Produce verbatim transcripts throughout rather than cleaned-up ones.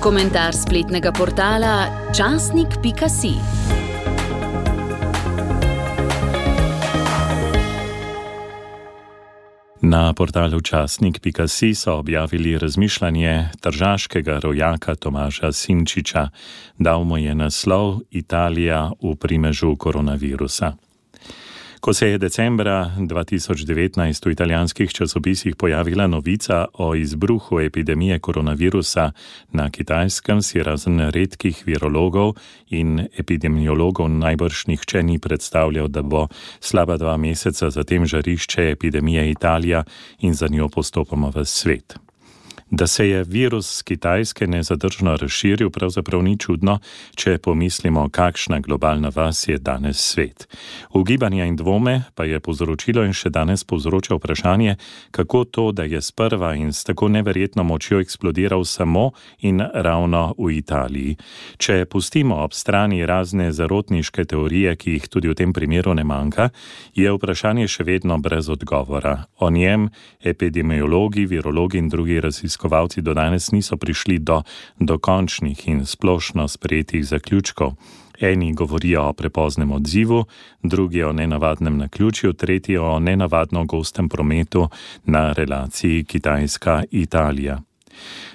Komentar spletnega portala časnik pika si. Na portalu časnik pika si so objavili razmišljanje tržaškega rojaka Tomaža Simčiča. Dal mu je naslov Italija v primežu koronavirusa. Ko se je decembra dva tisoč devetnajst v italijanskih časopisih pojavila novica o izbruhu epidemije koronavirusa na Kitajskem, si razen redkih virologov in epidemiologov najbrž nihče ni predstavljal, da bo slaba dva meseca zatem žarišče epidemije Italija in za njo postopoma v svet. Da se je virus z Kitajske nezadržno razširil, pravzaprav ni čudno, če pomislimo, kakšna globalna vas je danes svet. Ugibanja in dvome pa je povzročilo in še danes povzroča vprašanje, kako to, da je sprva in s tako neverjetno močjo eksplodiral samo in ravno v Italiji. Če pustimo ob strani razne zarotniške teorije, ki jih tudi v tem primeru ne manjka, je vprašanje še vedno brez odgovora. O njem epidemiologi, virologi in drugi raziskovalci do danes niso prišli do dokončnih in splošno sprejetih zaključkov. Eni govorijo o prepoznem odzivu, drugi o nenavadnem naključju, tretji o nenavadno gostem prometu na relaciji Kitajska-Italija.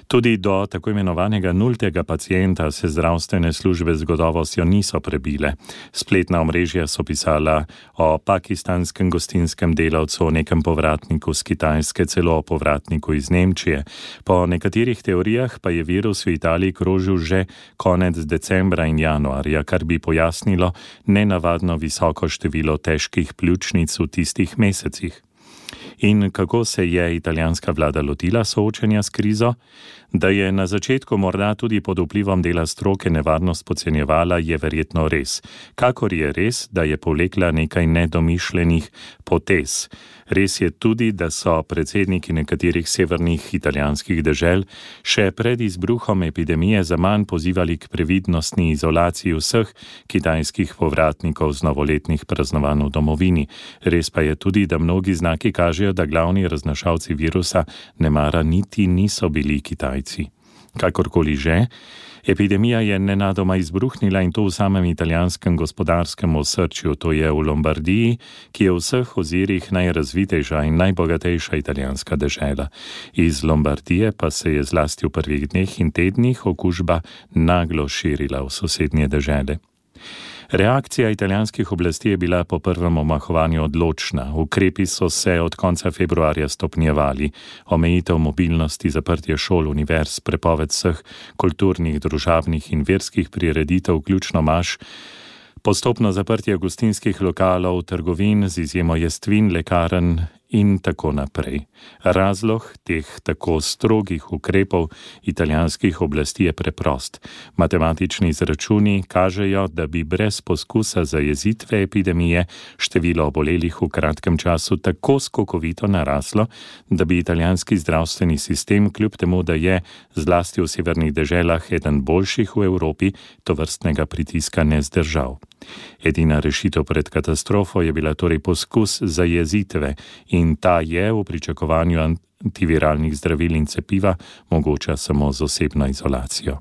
Tudi do tako imenovanega nultega pacienta se zdravstvene službe z gotovostjo niso prebile. Spletna omrežja so pisala o pakistanskem gostinskem delavcu, o nekem povratniku z Kitajske, celo o povratniku iz Nemčije. Po nekaterih teorijah pa je virus v Italiji krožil že konec decembra in januarja, kar bi pojasnilo nenavadno visoko število težkih pljučnic v tistih mesecih. In kako se je italijanska vlada lotila soočenja s krizo? Da je na začetku morda tudi pod vplivom dela stroke nevarnost podcenjevala, je verjetno res. Kakor je res, da je povlekla nekaj nedomišljenih potez. Res je tudi, da so predsedniki nekaterih severnih italijanskih dežel še pred izbruhom epidemije zaman pozivali k previdnostni izolaciji vseh kitajskih povratnikov z novoletnih praznovanj v domovini. Res pa je tudi, da mnogi znaki kažejo, da glavni raznašalci virusa nemara niti niso bili Kitajci. Kakorkoli že, epidemija je nenadoma izbruhnila in to v samem italijanskem gospodarskem osrčju, to je v Lombardiji, ki je v vseh ozirih najrazvitejša in najbogatejša italijanska dežela. Iz Lombardije pa se je zlasti v prvih dneh in tednih okužba naglo širila v sosednje dežele. Reakcija italijanskih oblasti je bila po prvem omahovanju odločna. Ukrepi so se od konca februarja stopnjevali. Omejitev mobilnosti, zaprtje šol, univerz, prepoved vseh kulturnih, družabnih in verskih prireditev, vključno maš, postopno zaprtje gostinskih lokalov, trgovin z izjemo jestvin, lekarn in tako naprej. Razlog teh tako strogih ukrepov italijanskih oblasti je preprost. Matematični izračuni kažejo, da bi brez poskusa zajezitve epidemije število obolelih v kratkem času tako skokovito naraslo, da bi italijanski zdravstveni sistem, kljub temu, da je zlasti v severnih deželah eden boljših v Evropi, tovrstnega pritiska ne zdržal. Edina rešitev pred katastrofo je bila torej poskus zajezitve in ta je v pričakovanju antiviralnih zdravil in cepiva mogoča samo z osebno izolacijo.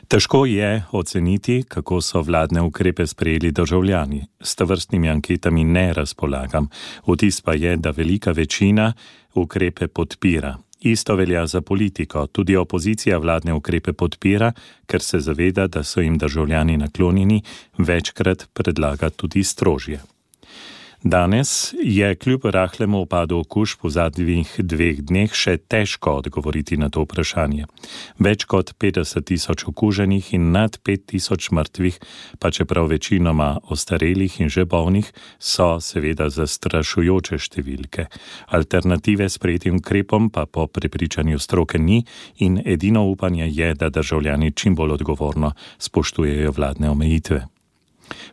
Težko je oceniti, kako so vladne ukrepe sprejeli državljani. S tovrstnimi anketami ne razpolagam. Vtis pa je, da velika večina ukrepe podpira. Isto velja za politiko. Tudi opozicija vladne ukrepe podpira, ker se zaveda, da so jim državljani naklonjeni, večkrat predlaga tudi strožje. Danes je kljub rahlemu upadu okužb v zadnjih dveh dneh še težko odgovoriti na to vprašanje. Več kot petdeset tisoč okuženih in nad pet tisoč mrtvih, pa čeprav večinoma ostarelih in že bolnih, so seveda zastrašujoče številke. Alternative sprejetim ukrepom pa po prepričanju stroke ni in edino upanje je, da državljani čim bolj odgovorno spoštujejo vladne omejitve.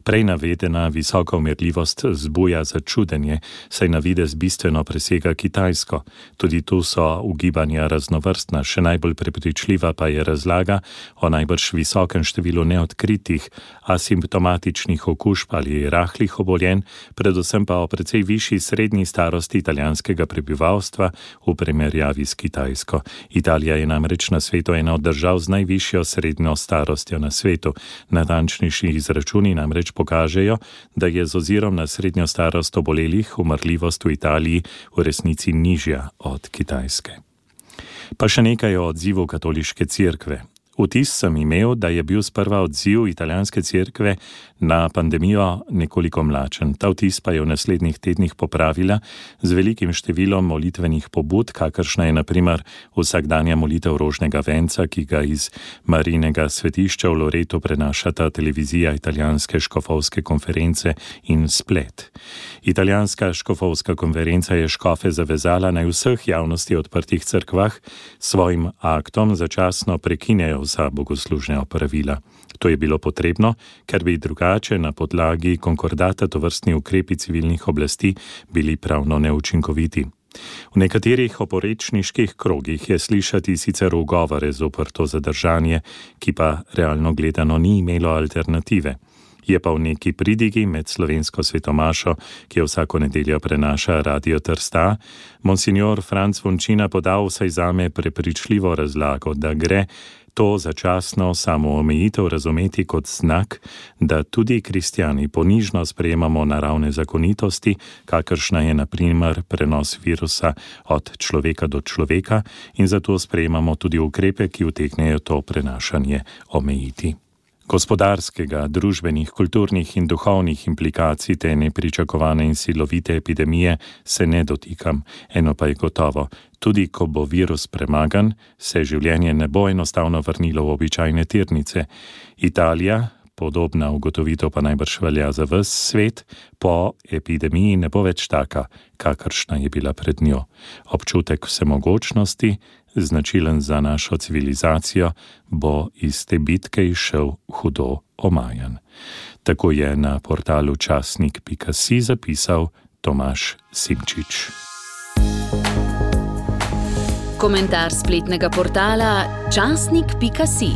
Prej navedena visoka umirljivost zbuja začudenje, saj na videz bistveno presega Kitajsko. Tudi tu so ugibanja raznovrstna, še najbolj prepričljiva pa je razlaga o najbrž visokem številu neodkritih, asimptomatičnih okužb ali rahlih obolenj, predvsem pa o precej višji srednji starosti italijanskega prebivalstva v primerjavi s Kitajsko. Italija je namreč na svetu ena od držav z najvišjo srednjo starostjo na svetu. Natančnejši izračuni namreč pokažejo, da je z ozirom na srednjo starost obolelih umrljivost v Italiji v resnici nižja od Kitajske. Pa še nekaj o odzivu katoliške cerkve. Vtis sem imel, da je bil sprva odziv italijanske cerkve na pandemijo nekoliko mlačen. Ta vtis pa je v naslednjih tednih popravila z velikim številom molitvenih pobud, kakršna je na primer vsakdanja molitev rožnega venca, ki ga iz Marijinega svetišča v Loretu prenašata televizija italijanske škofovske konference in Splet. Italijanska škofovska konferenca je škofe zavezala naj vseh javnosti odprtih cerkvah svojim aktom začasno prekinejo vsa bogoslužna opravila. To je bilo potrebno, ker bi drugače na podlagi konkordata tovrstni ukrepi civilnih oblasti bili pravno neučinkoviti. V nekaterih oporečniških krogih je slišati sicer ugovore zoper to zadržanje, ki pa realno gledano ni imelo alternative. Je pa v neki pridigi med slovensko svetomašo, ki jo vsako nedeljo prenaša Radio Trsta, monsignor Franc Vončina podal vsaj zame prepričljivo razlago, da gre to začasno samoomejitev razumeti kot znak, da tudi kristjani ponižno sprejemamo naravne zakonitosti, kakršna je na primer prenos virusa od človeka do človeka, in zato sprejemamo tudi ukrepe, ki utegnejo to prenašanje omejiti. Gospodarskega, družbenih, kulturnih in duhovnih implikacij te nepričakovane in silovite epidemije se ne dotikam. Eno pa je gotovo, tudi ko bo virus premagan, se življenje ne bo enostavno vrnilo v običajne tirnice. Italija, podobna ugotovitev pa najbrž velja za ves svet, po epidemiji ne bo več taka, kakršna je bila pred njo. Občutek vsemogočnosti, značilen za našo civilizacijo, bo iz te bitke izšel hudo omajan. Tako je na portalu časnik pika si zapisal Tomaž Simčič. Komentar spletnega portala časnik pika si.